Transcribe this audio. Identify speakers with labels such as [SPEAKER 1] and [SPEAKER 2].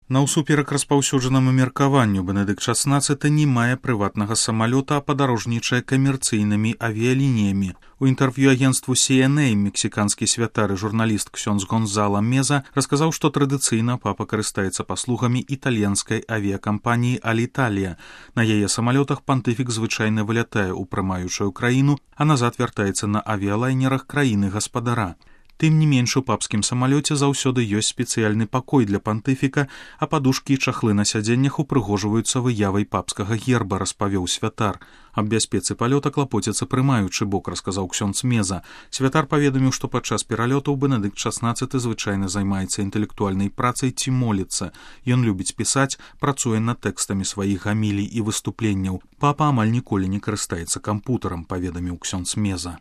[SPEAKER 1] Наўсуперак распаўсюджанаму меркаванню, Бенедыкт XVI не мае прыватнага самалёта, а падарожнічае камерцыйнымі авіялініямі. У інтэрв'ю агенству CNA мексіканскі святар і журналіст ксёндз Гонзала Меза расказаў, што традыцыйна папа карыстаецца паслугамі італьянскай авіякампаніі Аліталія. На яе самалётах пантыфік звычайна вылятае ў прымаючую краіну, а назад вяртаецца на авіялайнерах краіны-гаспадара. Тым не менш, у папскім самалёце заўсёды ёсць спецыяльны пакой для пантыфіка, а падушкі і чахлы на сядзеннях упрыгожваюцца выявай папскага герба, распавёў святар. Аб бяспецы палёта клапоціцца прымаючы бок, расказаў ксёндз Меза. Святар паведаміў, што падчас пералётаў Бенедыкт XVI звычайна займаецца інтэлектуальнай працай ці моліцца. Ён любіць пісаць, працуе над тэкстамі сваіх гамілій і выступленняў. Папа амаль ніколі не карыстаецца кампутарам, паведаміў ксёндз Меза.